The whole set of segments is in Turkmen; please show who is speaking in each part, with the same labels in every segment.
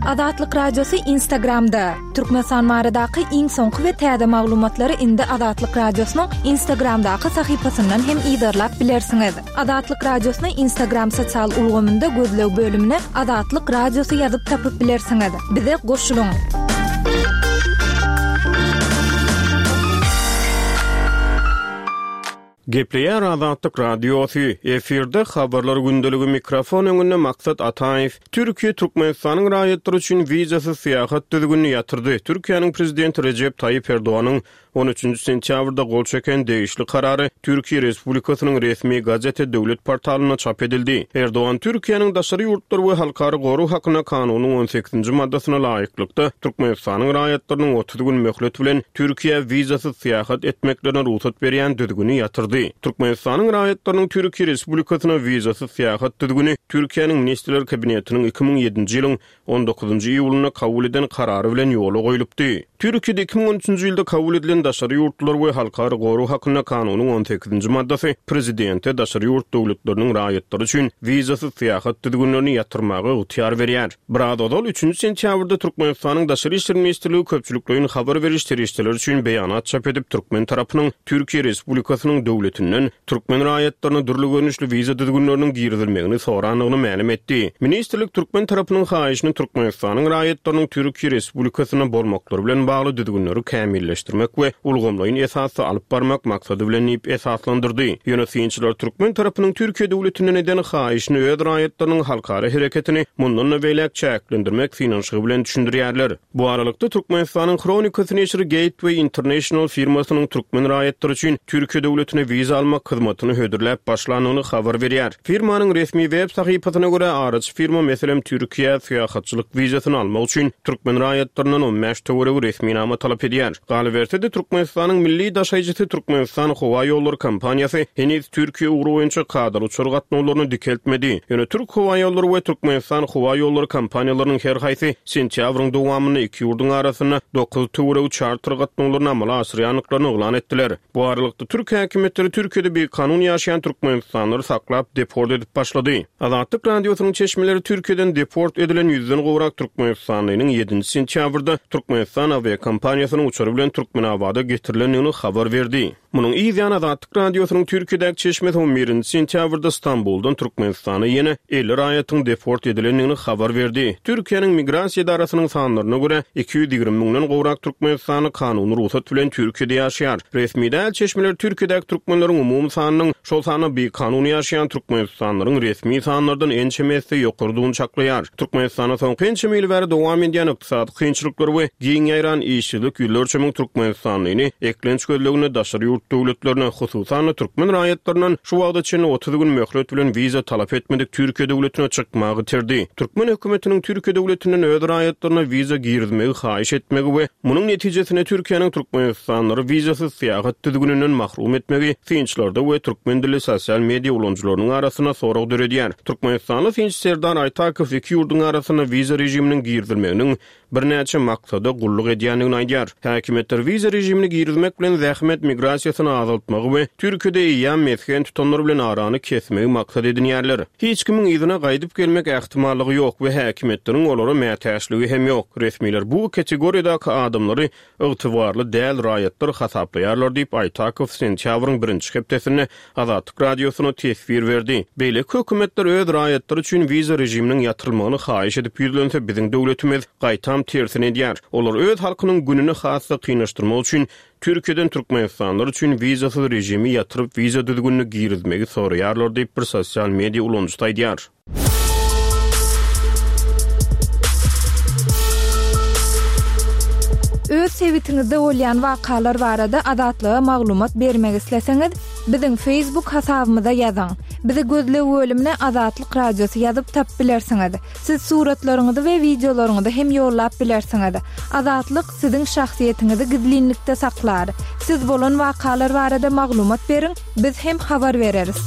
Speaker 1: Azatlyk Radiosy Instagramda! Türkmenistan baradaky iň soňky we täze maglumatlary indi Azatlyk Radiosynyň Instagramdaky sahypasyndan hem yzarlap bilersiňiz. Azatlyk Radiosyny Instagram sosial ulgamynda gözleg bölümine Azatlyk Radiosy ýazyp tapyp bilersiňiz. Bize goşulyň!
Speaker 2: Gepleýär Azatlyk Radiosy, efirde Habarlar gündeligi mikrofon öňünde Maksat Ataýew. Türkiýe Türkmenistanyň raýatlary üçin wizasyz syýahat düzgünini ýatyrdy. Türkiýäniň Prezidenti Rejep Taýyp Erdoganyň on üçünji sentýabrda gol çeken degişli karary Türkiýe Respublikasynyň resmi gazete döwlet portalynda çap edildi. Erdogan Türkiýäniň daşary ýurtlar we halkara gorag hakynda kanunyň on sekizinji maddasyna laýyklykda Türkmenistanyň raýatlarynyň 30 gün möhlet bilen Türkiýä wizasyz syýahat etmeklerine rugsat berýän düzgüni ýatyrdy. Türkmenistanyň raýatlarynyň Türkiýe Respublikasyna wizasyz syýahat düzgüni Türkiýäniň Ministrler Kabinetiniň 2007-nji ýylyň on dokuzynjy iýulynda kabul eden karary bilen ýola goýlupdy. Türkiýede 2013-nji ýylda kabul edilen Daşary ýurtlular we halkara gorag hakynda kanunyň on sekizinji maddasy prezidente daşary ýurt döwletleriniň raýatlary üçin wizasyz syýahat düzgünlerini ýatyrmaga ygtyýar berýär. Biraz ozal, üçünji sentýabrda Türkmenistanyň Daşary işler ministrligi köpçülikleýin habar beriş serişdeleri üçin beýanat çap edip, türkmen tarapynyň Türkiýe Respublikasynyň döwletinden türkmen raýatlaryna dürli görnüşli wiza düzgünleriniň girizilmegini sorandygyny mälim etdi. Ministrlik türkmen tarapynyň haýyşyny Türkmenistanyň raýatlarynyň Türkiýe Respublikasynda bolmaklary bilen bagly düzgünleri kämilleşdirmek we ulgamlaýyn esasda alyp barmak maksady bilen diýip esaslandyrdy. Ýöne synçylar türkmen tarapynyň Türkiýe döwletinden eden haýyşyny öz raýatlarynyň halkara hereketini mundan-da beýläk çäklendirmek synanyşygy bilen düşündirýärler. Bu aralykda, Türkmenistanyň Hronikasy neşiri Gateway International firmasynyň türkmen raýatlary üçin Türkiýe döwletine wiza almak hyzmatyny hödürläp başlandygyny habar berýär. Firmanyň resmi web sahypasyna görä, araçy firma, meselem, Türkiýä syýahatçylyk wizasyny almak üçin türkmen raýatlaryndan 15 töweregi resminama talap edýär. Galyberse-de, Türkmenistanyň milli daşaýjysy Türkmenistan howa ýollary kompaniýasy heniz Türkiýe ugry boýunça kadaly uçar gatnawlaryny dikeltmedi. Ýöne Türk howaýollary we Türkmenistan howa ýollary kompaniýalarynyň her haýsy sentýabryň dowamynda iki ýurduň arasynda dokuz töweregi çarter gatnawlaryny amala aşyrýandyklaryny yglan etdiler. Bu aralykda, türk häkimiýetleri Türkiýede bikanun ýaşaýan türkmenistanlylary saklap, deport edip başlady. Azatlyk Radiosynyň çeşmeleri Türkiýeden deport edilen ýüzden gowrak türkmenistanlynyň ýedinji sentýabrda Türkmenistan awiakompaniýasynyň uçary bilen Türkmenabada getirilendigini habar berdi. Munuň yz ýany Azatlyk Radiosynyň Türkiýedäki çeşmesi on birinji sentýabrda Stambuldan Türkmenistana ýene 50 raýatyň deport edilendigini habar berdi. Türkiýäniň Migrasiýa edarasynyň sanlaryna görä, 220 müňden gowrak türkmenistanly kanuny rugsat bilen Türkiýede ýaşaýar. Resmi däl çeşmeler Türkiýedäki türkmenleriň umumy sanynyň, şol sanda bikanun ýaşaýan türkmenistanlylaryň resmi sanlardan ençeme esse ýokarydygyny çaklaýar. Türkmenistanda soňky ençeme ýyl bäri dowam edýän ykdysady kynçylyklar we giň ýaýran işsizlik ýüzlerçe müň türkmenistanlyny eklenç gözleginde daşary ýurt döwletlerine, hususan-da türkmen raýatlaryndan şu wagta çenli 30 gün möhlet bilen wiza talap etmedik Türkiýe döwletine çykmagy iterdi. Türkmen hökümetiniň Türkiýe döwletinden öz raýatlaryna wiza girizmegi haýyş etmegi we munuň netijesinde Türkiýäniň türkmenistanlylary wizasyz syýahat düzgüninden mahrum etmegi synçylarda we türkmen dilli sosial media ulanyjylarynyň arasynda sorag döredýär. Türkmenistanly synçy Serdar Aýtakow iki ýurduň arasynda wiza režiminiň girizilmeginiň birnäçe maksada gulluk edýändigini aýdýar. Häkimiýetler wiza režimini girizmek bilen zähmet migrasiýasyny azaltmagy we Türkiýede eýýäm mesgen tutanlar bilen arany kesmegi maksat edinýärler. Hiç kimiň yzyna gaýdyp gelmek ähtimallygy ýok we häkimiýetleriň olara mätäçligi hem ýok. Resmiler bu kategoriýadaky adamlary ygtybarly däl raýatlar hasaplaýarlar diýip, Aýtakow sentýabryň birinji hepdesinde Azatlyk Radiosyna teswir berdi. Beýleki hökümetler öz raýatlary üçin wiza režiminiň ýatyrylmagyny haýyş edip ýüzlense, biziň döwletimiz, gaýtam, tersini edýär. Olar öz halkynyň gününi has-da kynlaşdyrmak üçin Türkiýeden türkmenistanlylar üçin wizasyz režimi ýatyryp, wiza düzgünini girizmegi soraýarlar diýip, bir sosial media ulanyjysy aýdýar.
Speaker 1: Öz sebitiňizde bolýan wakalar barada Azatlyga maglumat bermek isleseňiz, biziň Facebook hasabymyza ýazyň. Bizi gözleg bölümine Azatlyk Radiosy ýazyp tapyp bilersiňiz. Siz suratlaryňyzy we wideolaryňyzy hem ýollap bilersiňiz. Azatlyk siziň şahsyýetiňizi gizlinlikde saklar. Siz bolan wakalar barada maglumat beriň, biz hem habar bereris.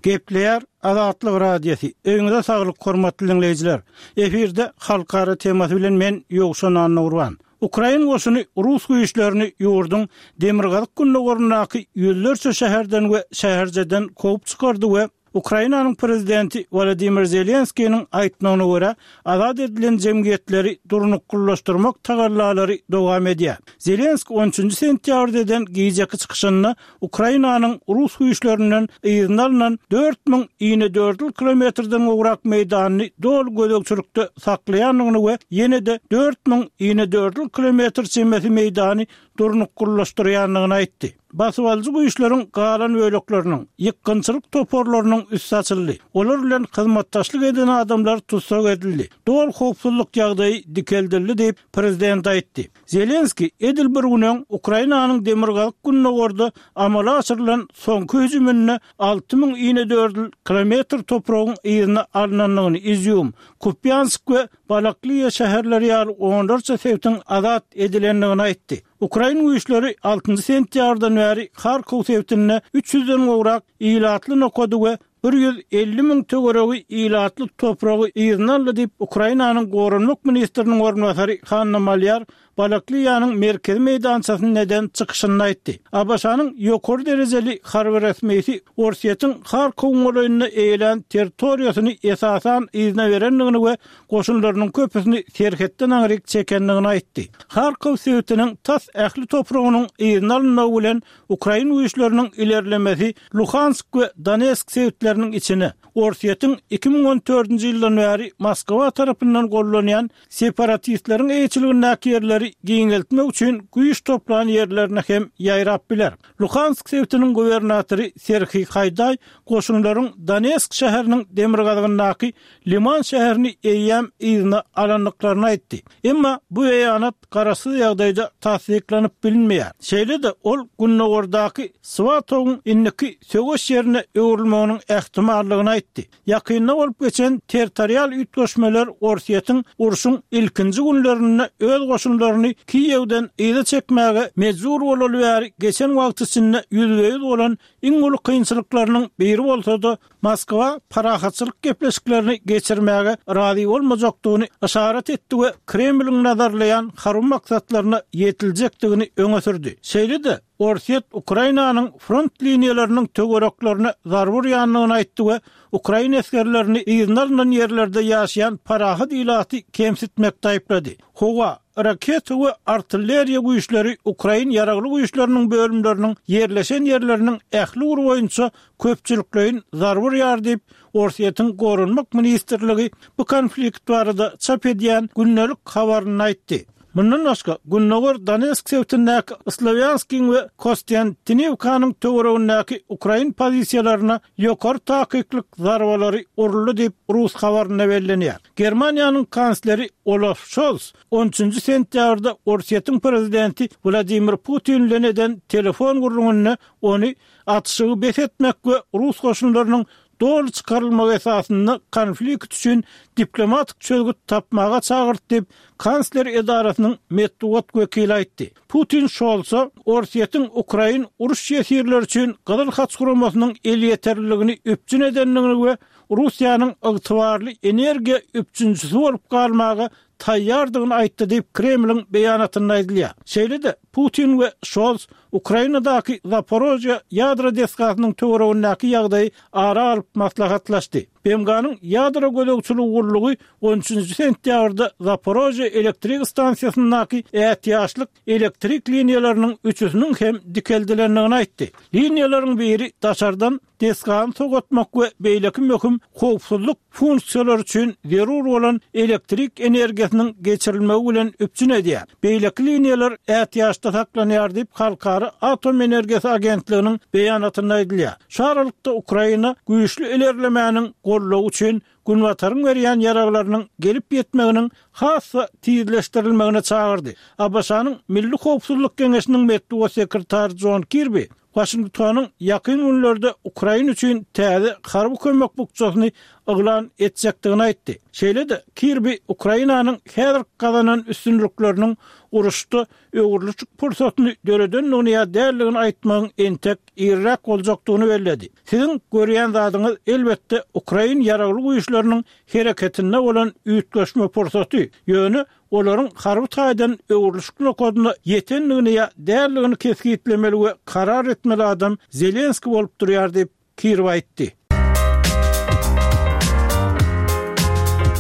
Speaker 3: Gepleýär Azatlyk Radiosy, Öýüňize saglyk hormatly diňleýjiler! Efirde Halkara temasy bilen men Ýowşan Annagurban. Ukrain goşuny rus güýçlerini ýurduň demirgazyk-gündogaryndaky ýüzlerçe şäherden we şäherceden kowup çykardy we. Ukrainanyň prezidenti Wolodymyr Zelenskiniň aýtmagyna görä, azat edilen jemgyýetleri durnuklylaşdyrmak tagallalary dowam edýär. Zelenski on üçünji sentýabrda eden gijeki çykyşynda Ukrainanyň rus güýçlerinden yzyna alnan 4000 inedördül kilometrden gowrak meýdanyny doly gözegçilikde saklaýandygyny we ýene-de 4000 inedördül kilometr çemesi meýdany durnuklylaşdyrýandygyny aýtdy. Basybalyjy güýçleriň galan bölekleriniň, ýykgynçylyk toparlarynyň üsti açyldy. Olar bilen hyzmatdaşlyk eden adamlar tussag edildi. Doly howpsuzlyk ýagdaýy dikeldildi diýip, prezident aýtdy. Zelenskiý edil bir gün öň Ukrainanyň demirgazyk-gündogarda amala aşyrylan soňky hüjüminde 6000 inedördül kilometr topragyň yzyna alnandygyny, Izýum, Kupýansk we Balakliýa şäherleri ýaly onlarça sebitiň azat edilendigini aýtdy. Ukrain güýçleri altynjy sentýabrdan bäri Harkow sebitinde üç ýüzden gowrak ilatly nokady we 150 müň töweregi ilatly topragy yzyna aldy diýip, Ukrainanyň goranmak ministriniň orunbasary Hanna Malýar Balakliýanyň merkezi meýdançasynda eden çykyşynda aýtdy. ABŞ-nyň ýokary derejeli harby resmisi Orsýetiň Harkowyň golaýynda eýelän territoriýasyny esasan yzyna berendigini we goşunlarynyň köpüsini serhetden aňryk çekendigini aýtdy. Harkow sebitiniň tas ähli topragynyň yzyna alynmagy bilen ukrain güýçleriniň ilerlemesi Luhansk we Donetsk sebitleriniň içine, Orsýetiň 2014-nji ýyldan bäri Moskwa tarapyndan gollanýan separatistleriň eýeçiligindäki ýerleri giňeltmek üçin güýç toplan ýerlerine hem ýaýrap biler. Luhansk sebitiniň gubernatory Serhiý Haýdaý goşunlaryň Donetsk şäheriniň demirgazygyndaky Liman şäherini eýýäm yzyna alandyklaryny aýtdy. Emma bu beýanat garaşsyz ýagdaýda tassyklanyp bilinmeýär. Şeýle-de ol gündogardaky Swatowyň indiki söweş ýerine öwrülmeginiň ähtimallygyny aýtdy. Ýakynda bolup geçen territorial üýtgeşmeler Orsýetiň urşuň ilkinji günlerinde öz goşunlaryny Kiýewden yza çekmäge mejbur bolaly bäri geçen wagt içinde ýüzbe-ýüz bolan iň uly kynçylyklarynyň biri bolsa-da, Moskwa parahatçylyk gepleşiklerini geçirmäge razy bolmajakdygyny yşarat etdi we Kremliň nazarlaýan harby maksatlaryna ýetiljekdigini öňe sürdi. Şeýle-de, Orsýet Ukrainanyň front liniýalarynyň töwereklerine zarba urýandygyny aýtdy we ukrain esgerlerini yzyna alnan ýerlerde ýaşaýan parahat ilaty kemsitmekde aýyplady. Howa, raketa we artilleriýa güýçleri ukrain ýaragly güýçleriniň bölümleriniň ýerleşen ýerleriniň ähli ugry boýunça köpçülikleýin zarba urýar diýip, Orsýetiň Goranmak ministrligi bu konflikt barada çap edýän gündelik habarynda aýtdy. Mundan başga, gündogar Donetsk sebitindäki Slowýanskiň we Kostýantiniwkanyň töweregindäki ukrain pozisiýalaryna ýokary takyklyk zarbalary uruldy diýip, rus habarynda bellenýär. Germaniýanyň kansleri Olaf Şols on üçünji sentýabrda Orsýetiň prezidenti Wladimir Putin bilen eden telefon gürrüňinde ony atyşygy bes etmek we rus goşunlarynyň doly çykarylmagy esasynda konflikt üçin diplomatik çözgüt tapmaga çagyrdy diýip, kansler edarasynyň metbugat wekili aýtdy. Putin Şolsa Orsýetiň ukrain uruş ýesirleri üçin Gyzyl Haç guramasynyň elýeterliligini üpjün edendigini we Russiýanyň ygtybarly energiýa üpjünçisi bolup galmaga taýýardygyny aýtdy diýip, Kremliň beýanatynda aýdylýar. Şeýle-de, Putin we Şols Ukrainadaky Zaporožýe ýadro desgasynyň töweregindäki ýagdaýy ara alyp maslahatlaşdy. BMG-niň Ýadro gözegçiligi gullugy on üçünji sentýabrda Zaporožýe elektrik stansiýasyndaky ätiýaçlyk elektrik liniýalarynyň üçüsiniň hem dikeldilendigini aýtdy. Liniýalaryň biri daşardan desgany sogatmak we beýleki möhüm howpsuzlyk funksiýalary üçin zerur bolan elektrik energiýasynyň geçirilmegi bilen üpjün edýär. Beýleki liniýalar ätiýaçda saklanýar diýip, Halkara atom energiýasy agentliginiň beýanatynda aýdylýar. Şu aralykda Ukraina güýçli ilerlemäniň goldawy üçin Günbataryň berýän ýaraglarynyň gelip ýetmeginiň has-da tizleşdirilmegine çagyrdy. ABŞ-nyň Milli howpsuzlyk geňeşiniň metbugat sekretary Jon Kirbi Waşingtonyň ýakyn günlerde Ukraina üçin täze harby kömek bukjasyny yglan etjekdigini aýtdy. Şeýle-de Kirbi Ukrainanyň häzirki gazanan üstünlikleriniň uruşda öwrülişik pursatyny döredendigini ýa däldigini aýtmagyň entek irräk boljakdygyny belledi. Siziň görýän zadyňyz, elbetde, ukrain ýaragly güýçleriniň hereketinde bolan üýtgeşme pursaty, ýöne olaryň harby taýdan öwrülişik nokadyna ýetendigini ýa däldigini kesgitlemeli we karar etmeli adam Zelenskiý bolup durýar diýip, Kirby aýtdy.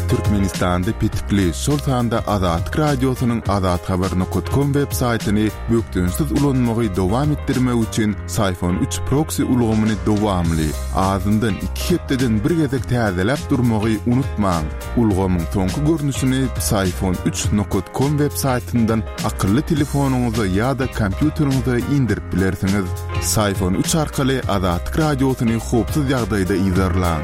Speaker 4: Türkmenistanda petikli, şol sanda Azatlyk Radiosynyň azathabar nokat kom web saýtyny bökdençsiz ulanmagy dowam etdirmek üçin Syfon üç proksi ulgamyny dowamly, azyndan iki hepdeden bir gezek täzeläp durmagy unutmaň. Ulgamyň soňky görnüşini Psiphon üç nokat kom web saýtyndan akylly telefonyňyza ýa-da kompýuteriňize indirip bilersiňiz. Psiphon üç arkaly Azatlyk Radiosyny howpsuz ýagdaýda yzarlaň.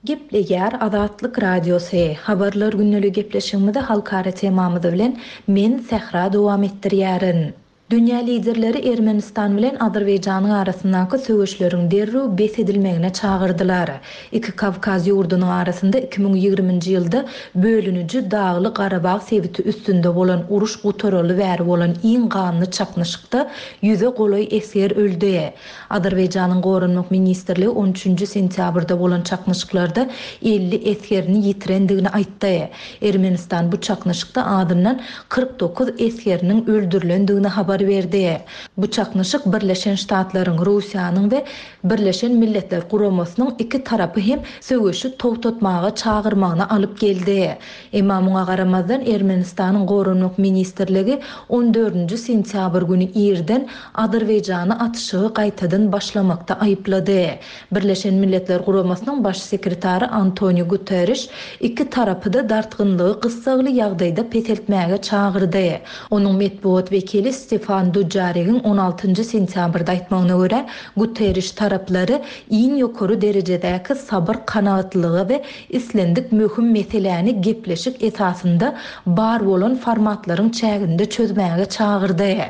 Speaker 5: Gepleýär Azatlyk Radiosy, Habarlar gündeligi gepleşigimizi halkara temamyz bilen men Sähra dowam etdirýärin. Dünýä liderleri Ermenistan bilen Azerbaýjanyň arasyndaky söweşleriň derrew bes edilmegine çagyrdylar. Iki Kawkaz ýurdunyň arasynda 2020-nji ýylda bölüniji Dagly-Garabag sebiti üstünde bolan uruş gutaraly bäri bolan iň ganly çaknyşykda ýüze golaý esger öldi. Azerbaýjanyň Goranmak ministrligi on üçünji sentýabrda bolan çaknyşyklarda 50 esgerini ýitirendigini aýtdy. Ermenistan bu çaknyşykda azyndan 49 esgeriniň öldürilendigini habar berdi. Bu çaknyşyk Birleşen Ştatlaryň, Russiýanyň we Birleşen Milletler Guramasynyň iki tarapy hem söweşi togtatmaga çagyrmagyna alyp geldi. Emma muňa garamazdan Ermenistanyň Goranmak ministrligi on dördünji sentýabr güni irden Azerbaýjany atyşygy gaýtadan başlamakda aýyplady. Birleşen Milletler Guramasynyň Baş sekretary Antoniu Guterriş iki tarapy-da dartgynlygy gyssagly ýagdaýda peseltmäge çagyrdy. Onuň metbugat wekili Stefan Dujarrigiň on altynjy sentýabrda aýtmagyna görä, Guterriş taraplary iň ýokary derejedäki sabyr-kanagatlylyga we islendik möhüm meseläni gepleşik esasynda bar bolan formatlaryň çäginde çözmäge çagyrdy.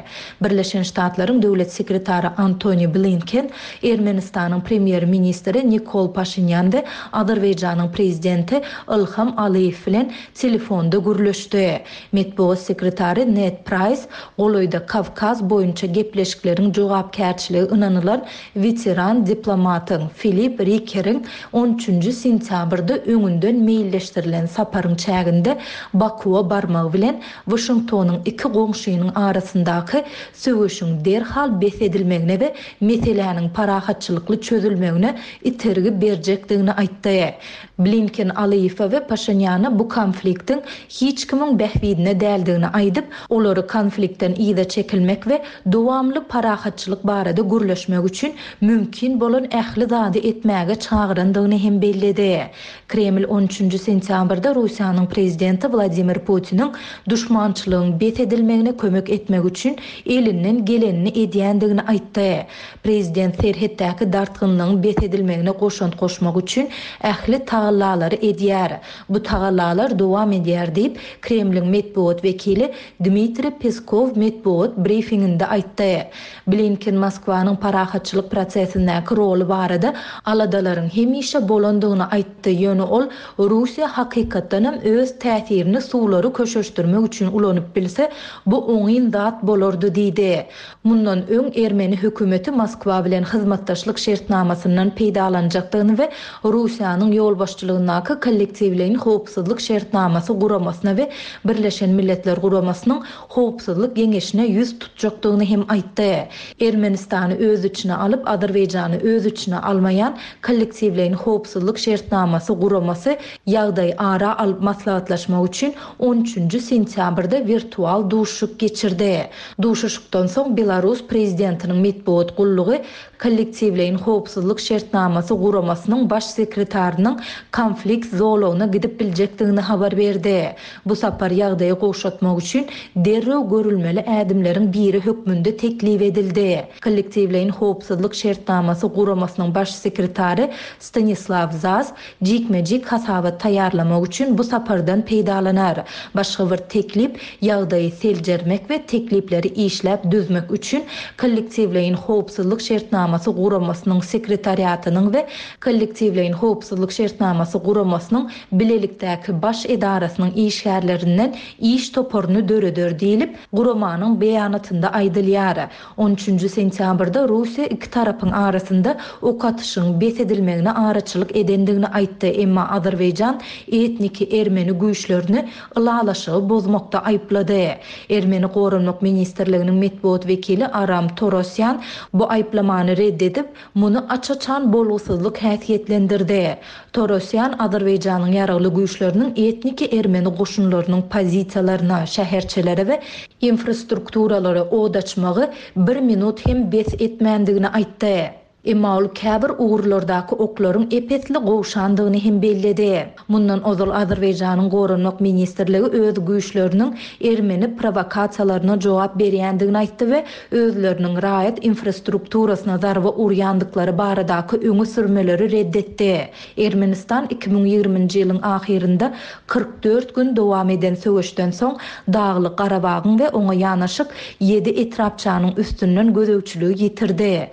Speaker 5: Birleşen Ştatlaryň Döwlet sekretary Antoni Blinken, Ermenistanyň Premýer-ministri Nikol Paşinýan we Azerbaýjanyň Prezidenti Ilham Alyýew bilen telefonda gürleşdi. Metbugat sekretary Ned Praýs golaýda Kawkaz boýunça gepleşikleriň jogapkärçiligi ynanylan weteran diplomatyň Filip Rikeriň on üçünji sentýabrda öňünden meýilleşdirilen saparyň çäginde Bakuwa barmagy bilen Waşingtonyň iki goňşynyň arasyndaky söweşiň derhal bes edilmegine we meseläniň parahatçylykly çözülmegine itergi berjekdigini aýtdy. Blinken Alyýewe we Paşinýana bu konfliktiň hiç kimiň bähbidine däldigini aýdyp, olary konfliktden yza çekilmek we dowamly parahatçylyk barada gürleşmek üçin mümkin bolan ähli zady etmäge çagyrandygyny hem belledi. Kreml on üçünji sentýabrda Russiýanyň prezidenti Wladimir Putiniň duşmançylygyň bes edilmegine kömek etmek üçin elinden gelenini edýändigini aýtdy. Prezident serhetdäki dartgynlygyň bes edilmegine goşant goşmak üçin ähli tagallalary edýär. Bu tagallalar dowam edýär diýip, Kremliň metbugat wekili Dmitriý Peskow metbugat brifinginde aýtdy. Blinken Moskwanyň parahatçylyk prosesindäki roly barada aladalaryň hemişe bolandygyny aýtdy, ýöne ol Russiýa hakykatdanam öz täsirini suwlary köşeşdirmek üçin ulanyp bilse, bu oňyn zat bolardy diýdi. Mundan öň ermeni hökümeti Moskwa bilen hyzmatdaşlyk şertnamasyndan peýdalanjakdygyny we Russiýanyň ýolbaşçylygyndaky Kollektiwleýin howpsuzlyk şertnamasy guramasyna we Birleşen Milletler Guramasynyň Howpsuzlyk Geňeşine ýüz tutjakdygyny hem aýtdy. Ermenistany öz içine alyp, Azerbaýjany öz içine almaýan Kollektiwleýin howpsuzlyk şertnamasy guramasy ýagdaýy ara alyp maslahatlaşmak üçin on üçünji sentýabrda wirtual duşuşyk geçirdi. Duşuşykdan soň Belarus prezidentiniň metbugat gullugy Kollektiwleýin howpsuzlyk şertnamasy guramasynyň baş sekretarynyň konflikt zolagyna gidip biljekdigini habar berdi. Bu sapar ýagdaýy gowşatmak üçin derrew görülmeli ädimleriň biri hökmünde teklip edildi. Kollektiwleýin howpsuzlyk şertnamasy guramasynyň baş sekretary Stanislaw Zas jikme-jik hasabat taýýarlamak üçin bu sapardan peýdalanar. Başga bir teklip, ýagdaýy seljermek we teklipleri işläp düzmek üçin Kollektiwleýin howpsuzlyk şertnamasy guramasynyň sekretariatynyň we Kollektiwleýin howpsuzlyk şertnamasy guramasynyň bilelikdäki baş edarasynyň işgärlerinden iş toparyny döreder diýlip, guramanyň beýanatynda aýdylýar. On üçünji sentýabrda Russiýa iki tarapyň arasynda ok atyşygyň bes edilmegine araçylyk edendigini aýtdy, emma Azerbaýjan etniki ermeni güýçlerini ylalaşygy bozmakda aýyplady. Ermeni Goranmak ministrliginiň metbugat wekili Aram Torosýan bu aýyplamany. aýyplamany red edip, muny aç-açan bolgusyzlyk häsiýetlendirdi. Torosýan Azerbaýjanyň ýaragly güýçleriniň etniki ermeni goşunlarynyň pozisiýalaryna, şäherçelere we infrastrukturalara od açmagy bir minut hem bes etmändigini aýtdy. Emma ol käbir ugurlardaky oklaryň ep-esli gowşandygyny hem belledi. Mundan ozal Azerbaýjanyň Goranmak ministrligi öz güýçleriniň ermeni prowokasiýalaryna jogap berýändigini aýtdy we özleriniň raýat infrastrukturasyna zarba urýandyklary baradaky öňe sürmeleri red etdi. Ermenistan 2020-nji ýylyň ahyrynda 44 gün dowam eden söweşden soň Daglyk Garabagyň we oňa ýanaşyk ýedi etrapçanyň üstünden gözegçiligi ýitirdi.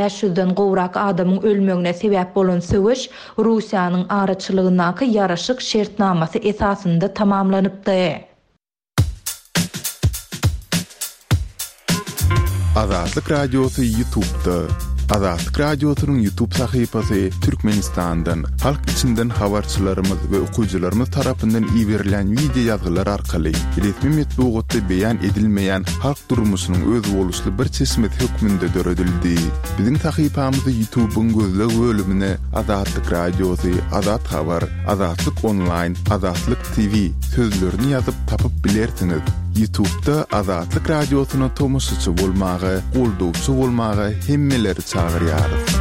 Speaker 5: 6500-den gowrak adamyň ölmegine sebäp bolan söweş Russiýanyň araçylygyndaky ýaraşyk şertnamasy esasynda tamamlanypdy.
Speaker 4: Azatlyk Radiosy Ýutubda. Azatlyk Radiosynyň Ýutub sahypasy Türkmenistandan, halk içinden habarçylarymyz we okyjylarymyz tarapyndan iberilýän wideo ýazgylar arkaly resmi metbugatda beýan edilmeýän halk durmuşynyň özboluşly bir çeşmesi hökmünde döredildi. Biziň sahypamyzy Ýutubyň gözleg bölümine Azatlyk Radiosy, Azat Habar, Azatlyk Onlaýn, Azatlyk TV sözlerini ýazyp tapyp bilersiňiz. Ýutubda Azatlyk Radiosyna tomaşaçy bolmaga, goldawçy bolmaga hemmeleri çagyrýarys.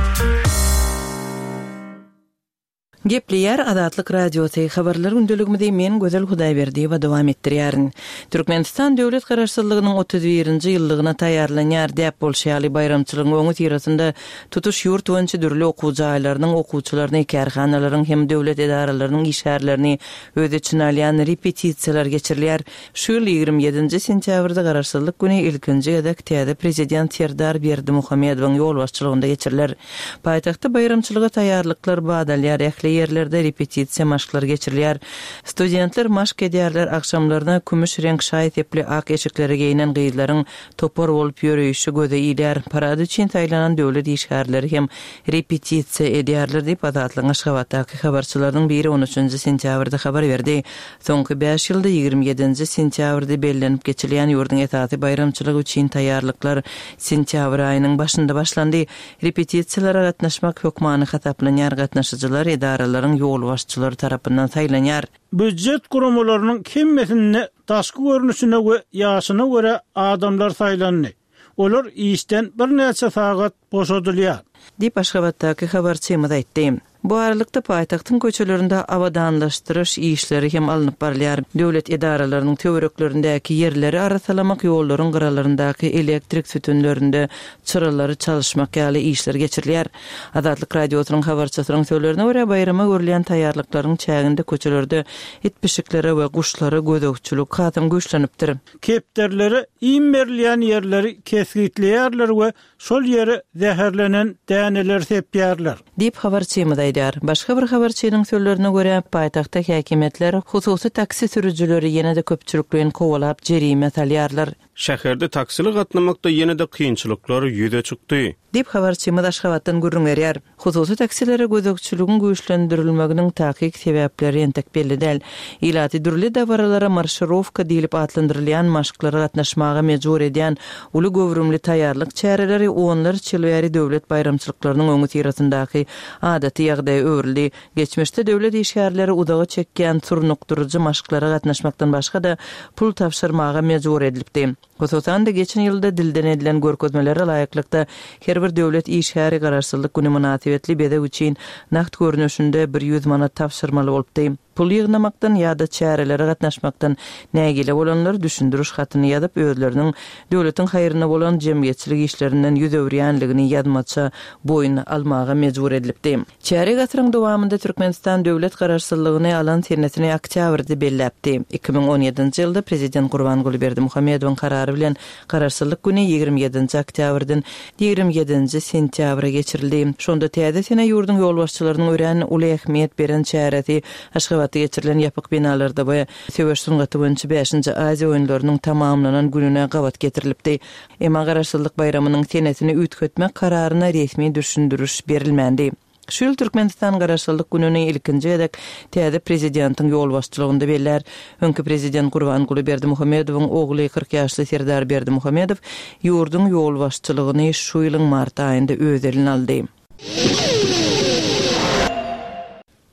Speaker 6: Gepleýär Azatlyk Radiosy, Habarlar gündeligimizi men Gözel Hudaýberdiýewa dowam etdirýärin. Türkmenistan döwlet Garaşsyzlygynyň 31-nji ýyllygyna taýýarlanýar. Däp bolşy ýaly, baýramçylygyň öňüsyrasynda tutuş ýurt boýunça dürli okuw jaýlarynyň okuwçylaryny, kärhanalaryň hem döwlet edaralarynyň işgärlerini öz içine alýan repetisiýalar geçirilýär. Şu ýyl 27-nji sentýabrda Garaşsyzlyk güni ilkinji gezek täze Prezident Serdar Berdimuhamedowyň ýolbaşçylygynda geçiriler. Paýtagtda baýramçylyga taýýarlyklar bat alýar, ähli ýerlerde repetisiýa maşklary geçirilýär. Studentler maşk edýärler, agşamlaryna kümüş reňk şaý-sepli ak eşiklere geýnen gyzlaryň topar bolup ýöreýşi göze ilýär. Parad üçin saýlanan döwlet işgärleri hem repetisiýa edýärler diýip, Azatlygyň Aşgabatdaky habarçylarynyň biri on üçünji sentýabrda habar berdi. Soňky bäş ýylda 27-nji sentýabrda bellenip geçilýän ýurduň esasy baýramçylygy üçin taýýarlyklar sentýabr aýynyň başynda başlandy. Repetisiýalara gatnaşmak hökmany hasaplanýar, gatnaşyjylar edaralaryň ýolbaşçylary tarapyndan saýlanýar.
Speaker 3: Býujet guramalarynyň hemmesinde daşky görnüşine we ýaşyna görä adamlar saýlandy. Olar işden birnäçe sagat boşadylýar.
Speaker 6: Diýip, Aşgabatdaky habarçymyz aýtdy. Bu aralykda, paýtagtyň köçelerinde abadanlaşdyryş işleri hem alnyp barylýar. Döwlet edaralarynyň töwereklerindäki ýerleri arassalamak, ýollaryň gyralaryndaky elektrik sütünlerinde çyralary çalyşmak ýaly işler geçirilýär. Azatlyk Radiosynyň habarçysynyň sözlerine görä, baýrama görülýän taýýarlyklaryň çäginde köçelerde it-pişiklere we guşlara gözegçilik hasam güýçlenipdir.
Speaker 3: Kepderilere iým berilýän ýerleri kesgitleýärler we şol ýere zäherlenen däneleri sepýärler.
Speaker 6: Diýip, habarçymyz aýdýar. Başga bir habarçynyň sözlerine görä, paýtagtda häkimiýetler hususy taksi sürüjileri ýene-de köpçülikleýin kowalap jerime salýarlar.
Speaker 2: Şäherde taksili gatnamakda ýene-de kynçylyklar ýüze çykdy.
Speaker 6: Diýip, habarçymyz Aşgabatdan gürrüň berýär. Hususy taksilere gözegçiligiň güýçlendirilmeginiň takyk sebäpleri entek belli däl. Ilaty dürli dabaralara marşirowka diýlip atlandyrylýan maşklara gatnaşmaga mejbur edýän uly göwrümli taýýarlyk çäreleri onlarça ýyl bäri döwlet baýramçylyklarynyň öňüsyrasyndaky adaty ýagdaýa öwrüldi. Geçmişde döwlet işgärleri uzaga çekýän surnukdyryjy maşklara gatnaşmakdan başga-da, pul tabşyrmaga mejbur edilipdi. Hususan-da, geçen ýylda dilden edilen görkezmelere laýyklykda, her bir döwlet işgäri Garaşsyzlyk güni mynasybetli bezeg üçin nagt görnüşinde 100 manat tabşyrmaly bolupdy. Pul ýygnamakdan ýa-da çärelere gatnaşmakdan nägile bolanlar düşündiriş hatyny ýazyp, özleriniň döwletiň haýryna bolan jemgyýetçilik işlerinden ýüz öwürýänligini ýazmaça boýun almaga mejbur edilipdi. Çärýek asyryň dowamynda Türkmenistan döwlet Garaşsyzlygyny alan senesini oktýabrda belläpdi. 2017-nji ýylda Prezident Gurbanguly Berdimuhamedowyň karary bilen Garaşsyzlyk güni 27-nji oktýabrdan 27-nji sentýabra geçirildi. Şonda täze sene ýurduň ýolbaşçylarynyň örän uly ähmiýet beren çäresi Aşgabatda geçirilen ýapyk binalarda we söweş sungaty boýunça bäşinji Aziýa oýunlarynyň tamamlanan gününe gabat getirilipdi. Emma Garaşsyzlyk baýramynyň senesini üýtgetmek kararyna resmi düşündiriş berilmändi. Şu ýyl Türkmenistan Garaşsyzlyk gününi ilkinji gezek täze prezidentiň ýolbaşçylygynda bellär. Öňki prezident Gurbanguly Berdimuhamedowyň ogly 40 ýaşly Serdar Berdimuhamedow ýurduň ýolbaşçylygyny şu ýylyň mart aýynda öz eline aldy.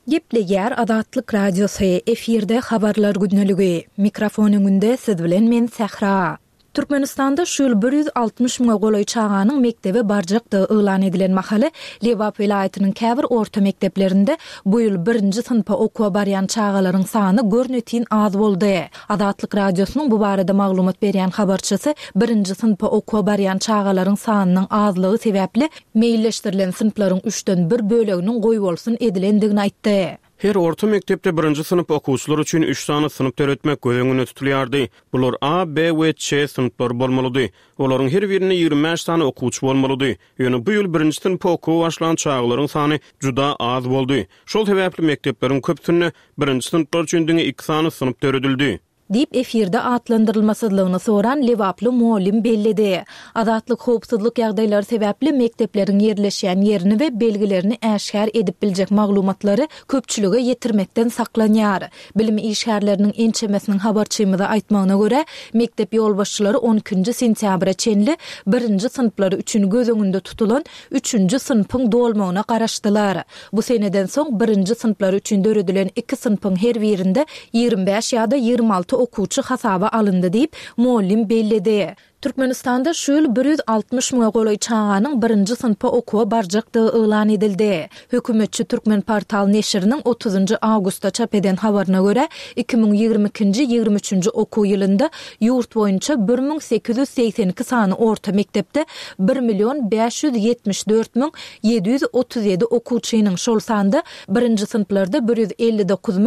Speaker 5: Gepleýär Azatlyk Radiosy, efirde Habarlar gündeligi. Mikrofon öňünde siz bilen men Sähra. Türkmenistanda şu ýyl 160 müňe golaý çaganyň mekdebe barjakdygy yglan edilen mahaly, Lebap welaýatynyň käbir orta mekdeplerinde bu ýyl birinji synpa okuwa barýan çagalaryň sany görnetin az boldy. Azatlyk Radiosynyň bu barada maglumat berýän habarçysy birinji synpa okuwa barýan çagalaryň sanynyň azlygy sebäpli meýilleşdirilen synplaryň üçden bir böleginiň goýbolsun edilendigini aýtdy.
Speaker 2: Her orta mekdepde birinji synp okuwçylary üçin üç sany synp döretmek göz öňünde tutulýardy. Bular A, B we Ç synplary bolmalydy. Olaryň her birinde 25 sany okuwçy bolmalydy. Ýöne bu ýyl birinji synpa okuwa başlan çagalaryň sany juda az boldy. Şol sebäpli mekdepleriň köpüsinde birinji synplar üçin diňe iki sany synp döredildi.
Speaker 5: Diýip, efirde atlandyrylmasyzlygyny soran lebaply mugallym belledi. Azatlyk howpsuzlyk ýagdaýlary sebäpli mekdepleriň ýerleşýän ýerini we belgilerini äşgär edip biljek maglumatlary köpçülige ýetirmekden saklanýar. Bilim işgärleriniň ençemesiniň habarçymyza aýtmagyna görä, mekdep ýolbaşçylary on ikinji sentýabra çenli birinji synplar üçin göz öňünde tutulan üçünji synpyň dolmagyna garaşdylar. Bu seneden soň birinji synplar üçin döredilen iki synpyň her birinde 25 ýa-da 26 okuwçy hasaba alyndy diýip, mugallym belledi. Türkmenistanda şu ýyl 160 müňe golaý çaganyň birinji synpa okuwa barjakdygy yglan edildi. Hökümetçi Türkmenportal neşiriniň otuzynjy awgustda çap eden habaryna görä, 2022-nji, 23-nji okuw ýylynda ýurt boýunça 1882 sany orta mekdepde bir million 574 737 okuwçynyň, şol sanda birinji synplarda 159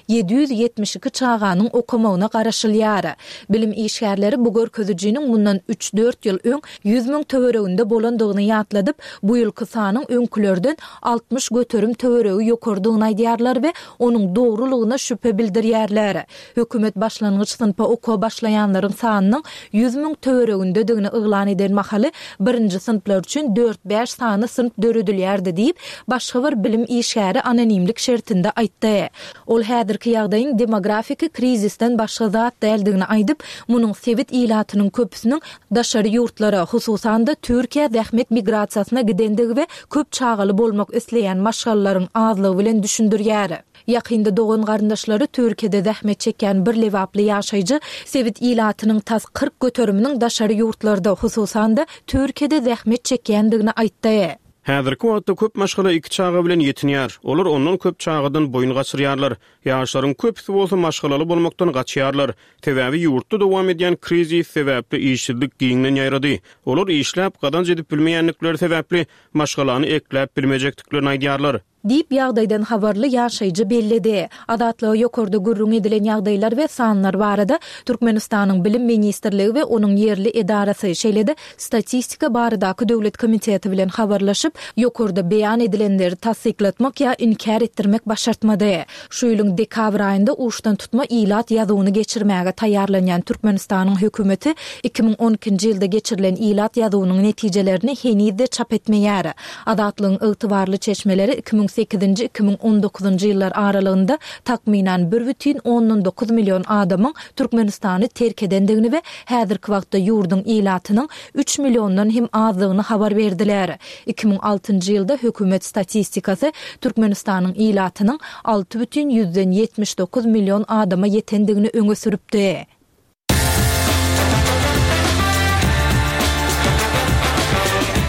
Speaker 5: 772 çaganyň okamagyna garaşylýar. Bilim işgärleri bu görkezijiniň mundan üç-dört ýyl öň 100 müň töwereginde bolandygyny ýatladyp, bu ýylky sanyň öňkülerden 60% töweregi ýokarydygyny aýdýarlar we onuň dogrulygyna şübhe bildirýärler. Hökümet başlangyç synpa okuwa başlaýanlaryň sanynyň 100 müň töweregindedigini yglan eden mahaly, birinji synplar üçin dört-bäş sany synp döredilýärdi diýip, başga bir bilim işgäri anonimlik şertinde aýtdy. Ol häzirki ýagdaýyň demografiki krizisden başga zat däldigini aýdyp, munuň sebit ilatynyň köpüsiniň daşary ýurtlara, hususan-da, Türkiýä zähmet migrasiýasyna gidendigi we köp çagaly bolmak isleýän maşgalalaryň azlygy bilen düşündirýär. Ýakynda dogan-garyndaşlary Türkiýede zähmet çekýän bir lebaply ýaşaýjy sebit ilatynyň tas 40 göteriminiň daşary ýurtlarda, hususan-da, Türkiýede zähmet çekýändigini aýtdy.
Speaker 2: Häzirki wagtda köp maşgala iki çaga bilen ýetinýär. Olar ondan köp çagadan boýun gaçyrýarlar. Ýaşlaryň köpüsi bolsa maşgalaly bolmakdan gaçýarlar. Sebäbi ýurtda dowam edýän krizis sebäpli işsizlik giňden ýaýrady. Olar işläp gazanç edip bilmeýändikleri sebäpli maşgalany ekläp bilmejekdiklerini aýdýarlar.
Speaker 5: Diýip, ýagdaýdan habarly ýaşaýjy belledi. Azatlyga ýokarda gürrüň edilen ýagdaýlar we sanlar barada Türkmenistanyň Bilim ministrligi we onuň ýerli edarasy, şeýle-de Statistika baradaky döwlet komiteti bilen habarlaşyp, ýokarda beýan edilenleri tassyklatmak ýa inkär etdirmek başartmady. Şu ýylyň dekabr aýynda uçdantutma ilat ýazuwyny geçirmäge taýýarlanýan Türkmenistanyň hökümeti 2012-nji ýylda geçirilen ilat ýazuwynyň netijelerini heniz-de çap etmeýär. Azatlygyň ygtybarly çeşmeleri 2008-nji, 2019-njy ýyllar aralygynda takmynan bir bütin ondan dokuz million adamyň Türkmenistany terk edendigini we häzirki wagtda ýurduň ilatynyň üç milliondan hem azdygyny habar berdiler. 2006-njy ýylda hökümet statistikasy Türkmenistanyň ilatynyň alty bütin ýüzden 79 million adama ýetendigini öňe sürüpdi.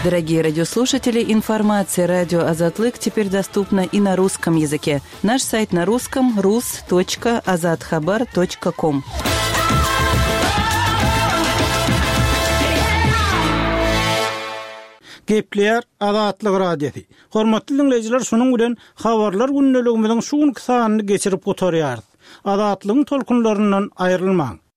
Speaker 6: Дорогие радиослушатели, информация радио Азатлык теперь доступна и на русском языке. Наш сайт на русском rus.azathabar.com.
Speaker 3: Gepleýär Azatlyk Radiosy. Hormatly diňleýjiler, şunuň bilen Habarlar gündeligimiziň şu günki sanyny geçirip gutarýarys. Azatlygyň tolkunlaryndan aýrylmaň!